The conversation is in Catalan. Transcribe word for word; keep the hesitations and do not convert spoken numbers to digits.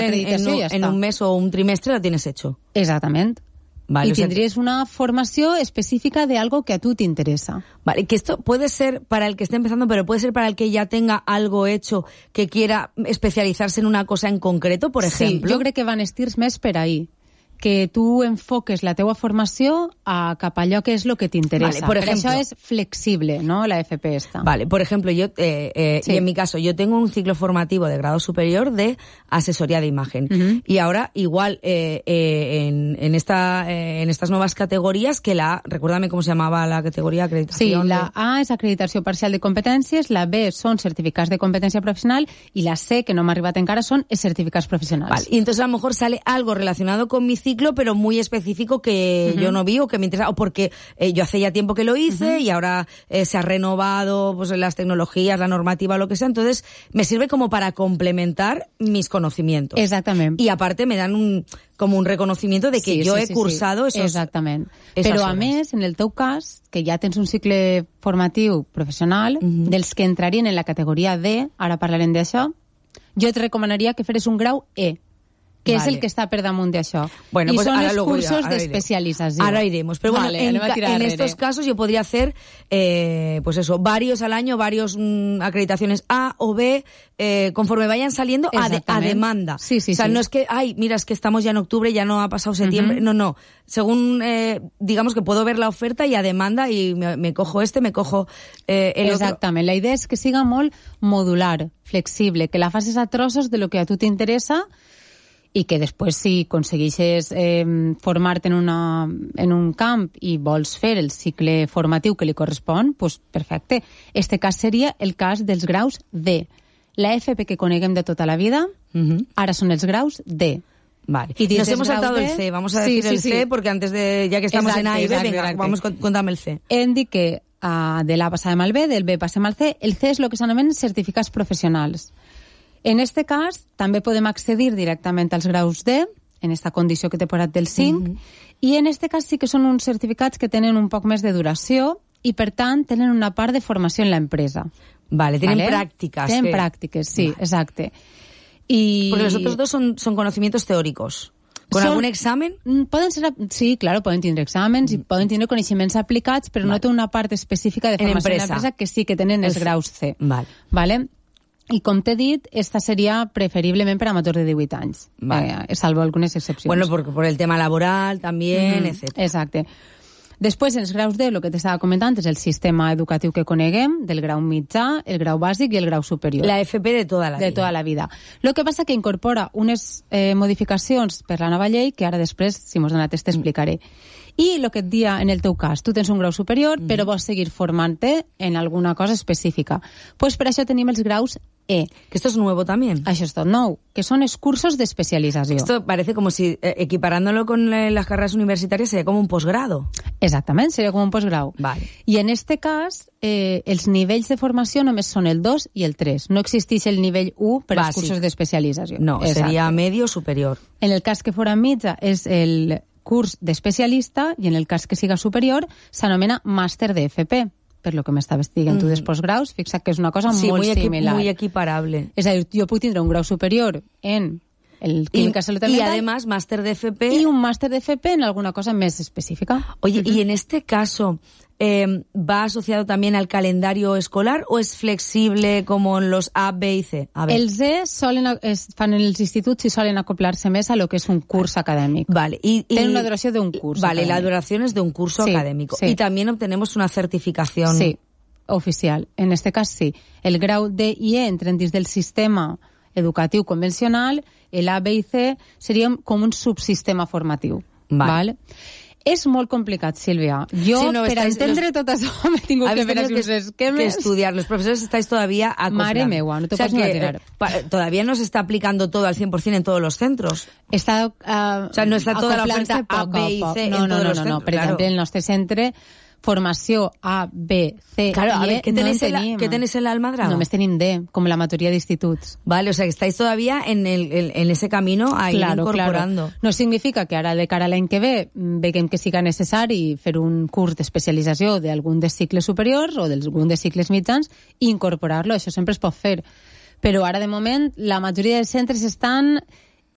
l'acreditació en, ja en està. un mes o un trimestre la tienes hecho. Exactament. Vale, y o sea, tendrías una formación específica de algo que a tú te interesa. Vale, que esto puede ser para el que esté empezando, pero puede ser para el que ya tenga algo hecho, que quiera especializarse en una cosa en concreto, por ejemplo. Sí, jo crec que van estirs més per ahí. Que tu enfoques la teua formació a cap allò que és el que t'interesa. Vale, por ejemplo, per això és flexible, ¿no?, la F P esta. Vale, por ejemplo, yo eh, eh, sí. y en mi caso, yo tengo un ciclo formativo de grado superior de asesoría de imagen. Uh-huh. Y ahora, igual, eh, eh, en, en, esta, eh, en estas nuevas categorías, que la, recuérdame cómo se llamaba la categoría, acreditación. Sí, la de... A és acreditació parcial de competències, la B són certificats de competència professional y la C, que no m'ha arribat encara, són certificats professionals. Vale, y entonces a lo mejor sale algo relacionado con mi ciclo, pero muy específico que uh-huh. yo no vi o que me interesa, o porque eh, yo hace ya tiempo que lo hice uh-huh. y ahora eh, se ha renovado pues las tecnologías, la normativa, lo que sea, entonces me sirve como para complementar mis conocimientos. Exactament. Y aparte me dan un como un reconocimiento de que sí, yo sí, he sí, cursado sí. esos Exactament. esas Però horas. a més, en el teu cas, que ja tens un cicle formatiu professional, uh-huh. dels que entrarien en la categoria D, ara parlarem d'això, jo et recomanaria que feres un grau E, que vale. és el que està per damunt d'això. Bueno, y pues son los luego cursos irá, de iremos. especialización. Ahora iremos. Pero bueno, vale, en, en estos casos yo podría hacer, eh, pues eso, varios al año, varios mmm, acreditaciones A o B, eh, conforme vayan saliendo a, de, a demanda. Sí, sí, o sea, sí. no es que, ay, mira, es que estamos ya en octubre, ya no ha pasado septiembre. Uh-huh. No, no. Según, eh, digamos que puedo ver la oferta y a demanda y me, me cojo este, me cojo eh, el Exactament. otro. La idea és que siga molt modular, flexible, que la facis a trossos de lo que a tu t'interessa i que després, si aconsegueixes eh, formar-te en, una, en un camp i vols fer el cicle formatiu que li correspon, pues perfecte. Este cas seria el cas dels graus D. La F P que coneguem de tota la vida, uh-huh. ara són els graus D. Vale. Y nos hemos saltado D, el C. Vamos a sí, decir sí, el C, sí. porque antes de, ya que estamos exacte, en A y B, exacte, venga, exacte. vamos, contame el C. Hem dit que uh, de l'A passàvem al B, del B passem al C. El C és el que s'anomenen certificats professionals. En este cas, també podem accedir directament als graus D, en esta condició que t'he posat del cinc, uh-huh. i en este cas sí que són uns certificats que tenen un poc més de duració i, per tant, tenen una part de formació en l'empresa. Vale, tienen ¿Vale? prácticas. Tienen que... prácticas, sí, vale. Exacte. Y... Porque los otros dos son, son conocimientos teóricos. ¿Con son... algún examen? Poden ser, sí, claro, poden tindre exàmens mm. i poden tindre coneixements aplicats, però vale. No té una part específica de formació en l'empresa que sí que tenen els graus C. Vale. Vale? I com t'he dit, esta seria preferiblement per amateurs de divuit anys, vale. eh, salvo algunes excepcions. Bueno, por, por el tema laboral también, mm-hmm. etcétera. Exacte. Després, els graus D, el que t'estava comentant, és el sistema educatiu que coneguem, del grau mitjà, el grau bàsic i el grau superior. La F P de tota la vida. De tota la vida. Lo que passa que incorpora unes eh, modificacions per la nova llei, que ara després, si mos donat, t'explicaré. I el que et dia en el teu cas, tu tens un grau superior, mm. però vols seguir formant-te en alguna cosa específica. Pues per això tenim els graus E. Que esto es nuevo también. Això és tot nou, que són els cursos d'especialització. Esto parece como si, eh, equiparándolo con eh, las carreras universitarias, sería como un posgrado. Exactament, seria com un postgrau. Vale. I en este cas, eh, els nivells de formació només són el dos i el tres. No existeix el nivell u per als cursos d'especialització. No, Exacte. Seria medio superior. En el cas que fora mitja és el curs d'especialista i en el cas que siga superior s'anomena màster de F P. Per lo que m'estaves dient mm. tu dels postgraus, fixa't que és una cosa sí, molt muy similar. Sí, muy equiparable. És a dir, jo puc tindre un grau superior en el química salud y además máster de F P y un máster de F P en alguna cosa más específica. Oye, uh-huh. y en este caso eh, ¿va asociado también al calendario escolar o es flexible como en los A, B y C? A ver. Els E solen, es, fan en els instituts i solen acoplar-se més a lo que és un curs acadèmic. Vale. Y, y, Tienen una duración de un curso Vale, académico. La duración es de un curso sí, académico. Sí. Y también obtenemos una certificación. Sí, oficial. En este cas sí. El grau D i E entren dins del sistema educatiu convencional, el A, B i C seria com un subsistema formatiu. Vale. Vale? És molt complicat, Sílvia. Jo, sí, no, per estáis, entendre los... tot això, m'he tingut que fer uns esquemes. Que estudiar. Los profesores estáis todavía acostumbrados. Mare meua, no te o sea, pots imaginar. Eh, pa, todavía no se está aplicando todo al cien por ciento en todos los centros. Està, uh, o sea, no está toda la oferta A, B i C no, en no, todos no, los no, centros. no. Per claro. exemple, el nostre centre formació A, B, C claro, a i ver, E ¿qué no tenéis, en en tenim. la, ¿qué tenéis en la Almadraba? Només tenim D, com la majoria d'instituts. Vale, o sea, que estáis todavía en, el, en, en ese camino a ir claro, incorporando. Claro. No significa que ara, de cara a l'any que ve, veiem que siga necessari fer un curs d'especialització d'algun dels cicles superiors o d'algun dels cicles mitjans i incorporar-lo, això sempre es pot fer. Però ara, de moment, la majoria dels centres estan